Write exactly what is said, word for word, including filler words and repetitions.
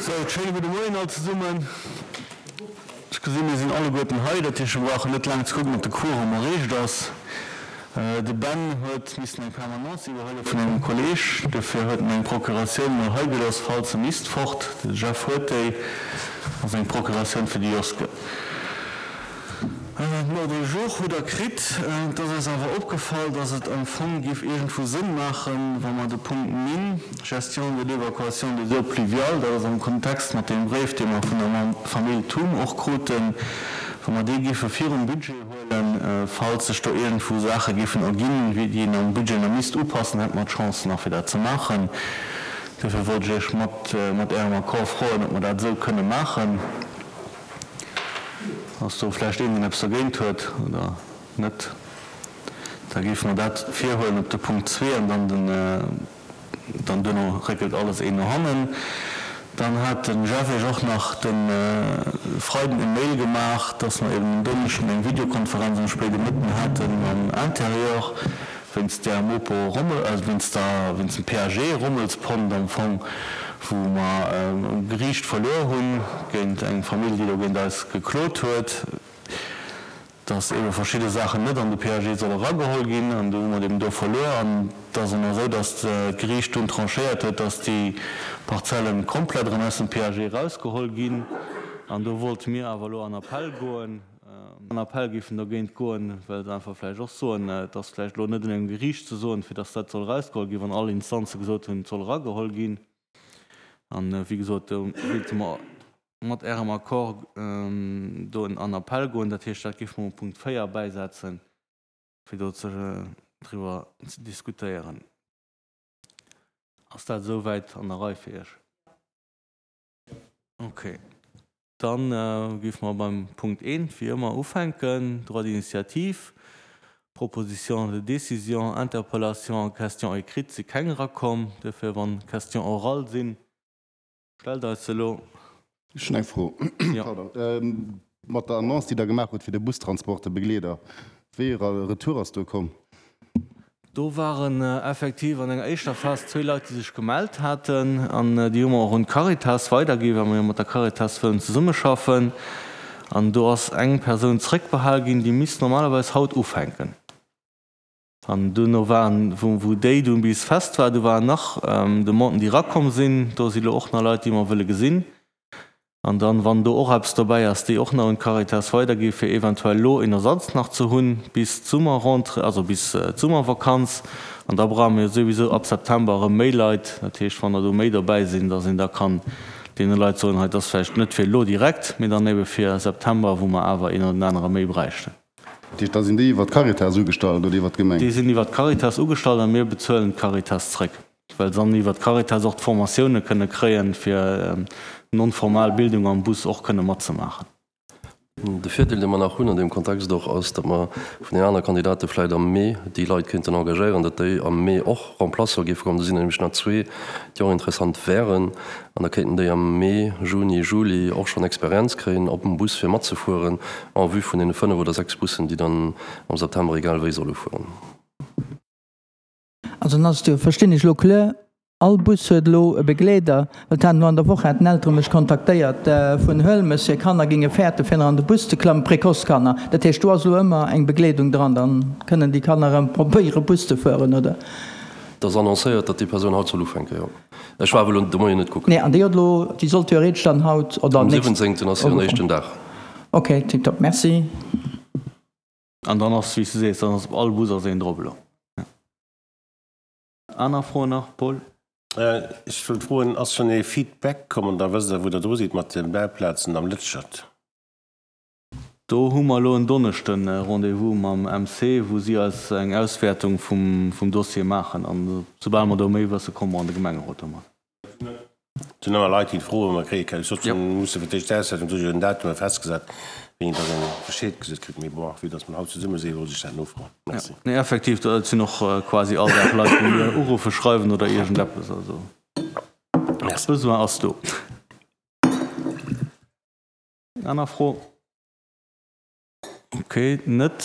Sou, schéine gudde Moien all zesummen. Ech gesinn, mir sinn alleguerten hei, dat heescht, mir brauchen net laang ze kucken, ob de Quorum erreecht ass. De Ben huet missen eng Permanence iwwerhuele vun engem Kolleeg, dofir huet en eng Procuratioun mol hei gelooss, falls e misst fort. De Jeff huet déi, ass eng Procuratioun fir de Joske. Den Ordre du jour hutt Der kritt. Et ass eis awer opgefall, dass et am Fong géif iergendwou Sënn maachen, wa mer de Punkt nine, Gestion de l'évacuation des eaux pluviales, dat ass am Kontext mat deem Bréif, dee mer vun der Famill Thum och kruten, wa mer dee géife virum Budget huelen, falls sech do iergendwou Saache géifen erginn, déi een am Budget nach misst upassen, hätte mer d'Chance nach fir dat ze maachen. Duerfir wollt ech Iech mat Ärem Accord froen, ob mer dat esou kënne maachen. Ass do vläicht een, deen eppes dergéint huet oder net? Da géife mer dat virhuelen op de Punkt zwee an dann den, dann duerno réckelt alles een no hannen. Dann hat de Jeff Iech och nach de Freiden e Mail gemaach, dass mer eben en Donneschden eng Videokonferenz am spéide Mëtten hate mam Intérieur wéinst där Mopo Rommel, wéinst der, wéinst dem P A G Rommelspont am Fong, wou mer um Geriicht verluer hunn géint eng Famill, déi do géint eis geklot huet, dass eebe verschidde Saachen net an de P A G solle erageholl ginn. An do hu mer eben do verluer. An et ass ëmmer esou, dass d'Geriicht dunn tranchéiert huet, dass déi Parzellen komplett erëm aus dem P A G erausgeholl ginn. An do wollte mir awer elo an Appell goen. An Appell géifen dogéint goen, well se einfach vläicht och soen, et ass vläicht elo net un engem Geriicht ze soen, fir dass dat soll erausgeholl ginn, wann all Instanze gesot hunn, et soll erageholl ginn. An, wéi gesot, do wéilte mer mat Ärem Accord do an Appell goen. Dat heescht, dat géife mer um Punkt véier bäisetzen, fir do driwwer ze diskutéieren. Ass dat esouwäit an der Rei fir Iech? Okay. Dann géife mer beim Punkt eent wéi ëmmer ufänken, Droit d'initiative, Proposition de décision, Interpellation a Question écrite si keng erakomm. Duerfir, wann Questions orales sinn, stellt eis se elo. Ech hunn eng Fro. Pardon. Mat der Annonce, déi Der gemaach hutt fir de Bustransport, de Begleeder, wéi e Retour ass do komm? Do waren effektiv an enger éischter Phas zwee Leit, déi sech gemellt haten, an déi hu mer och un d'Caritas weiderginn, well mer jo mat der Caritas wëllen zesummeschaffen. An do ass eng Persoun zréckbehal ginn, déi misst normalerweis haut ufänken. An duerno waren, wou wou déi dunn bis fest war, do waren nach Demanden, déi erakomm sinn. Do si lo och nach Leit, déi mer wëlle gesinn. An dann, wann do och eppes dobäi ass, déi och nach un d'Caritas weidergi fir eventuell elo een Ersatz nach ze hunn bis d'Summerrentrée, also bis d'Summervakanz. An da brauche mir jo souwisou ab September erëm méi Leit. Dat heescht, wann der do méi dobäi sinn, dass een da kann deene Leit soen, hei, dat ass vläicht net fir elo direkt, mee dann ebe fir September, wou mer awer een oder den anere méi bräichten. Dat heescht, da sinn déi iwwer d'Caritas ugestallt oder iwwer d'Gemeng? Déi sinn iwwer d'Caritas ugestallt a mir bezuelen d'Caritas zréck, well se dann iwwer d'Caritas och d'Formatioune kënne kréien, fir non-formal Bildung am Bus och kënne matzemaachen. De Virdeel, dee mer nach hunn an deem Kontext och, ass, datt mer vun den anere Kandidate vläicht am Mee déi Leit kéinten engagéieren, datt déi am Mee och Remplaçant géife kommen. Do sinn der nämlech nach zwee, déi och interessant wären. An da kéinten déi am Mee, Juni, Juli och schonn Experienz kréien op dem Bus fir matzefueren en vue vun deene fënnef oder sechs Bussen, déi dann am September egal wéi solle fueren. Also dann ass et jo, verstinn ech elo kloer, all Bus huet elo e Begleeder, well et haten elo an der Woch haten Eltere mech kontaktéiert vun Huelmes, hir Kanner géinge fäerten, fir nach an de Bus ze klammen, Précoce-Kanner. Dat heescht, do ass elo ëmmer eng Begleedung dran, dann kënnen déi Kanner erëm probéiere Bus ze fueren, oder? Et ass annoncéiert, datt déi Persoun haut soll ufänken, jo. Ech war awer elo de Moien net kucken. Nee, an déi huet elo, déi soll theoretesch dann haut oder Am nächst. siwwenzéngten ass hiren éischten Dag. Ok, tiptop, merci. An dann ass, wéi s du sees, dann ass op all Bus ass een drop elo. Aner Froen nach? Paul? Ech wëllt froen, ass schonn ee Feedback komm an da wësst Der, wou Der dru sidd mat de Bauplazen am Lëtschert? Do hu mer elo en Donneschden e Rendez-vous mam M C, wou si eis eng Auswäertung vum Dossier maachen. An soubal mer do méi wësse, komme mer an de Gemengerot domat. Et sinn ëmmer Leit, déi froen, mer kréie keng. Ech sot, mir musse fir d'éischt d'Auswäertung, do si jo den Datume festgesat, wéini dass een Bescheed gesot kritt. Mee bon, vue dass mer haut zesumme sinn, wollt ech dat nofroen. Merci. Nee, effektiv, et sinn och quasi all Dag Leit, déi mir uruffen, schreiwen oder iergendeppes. Also Merci. Besoin ass do. Aner Fro? Okay, net.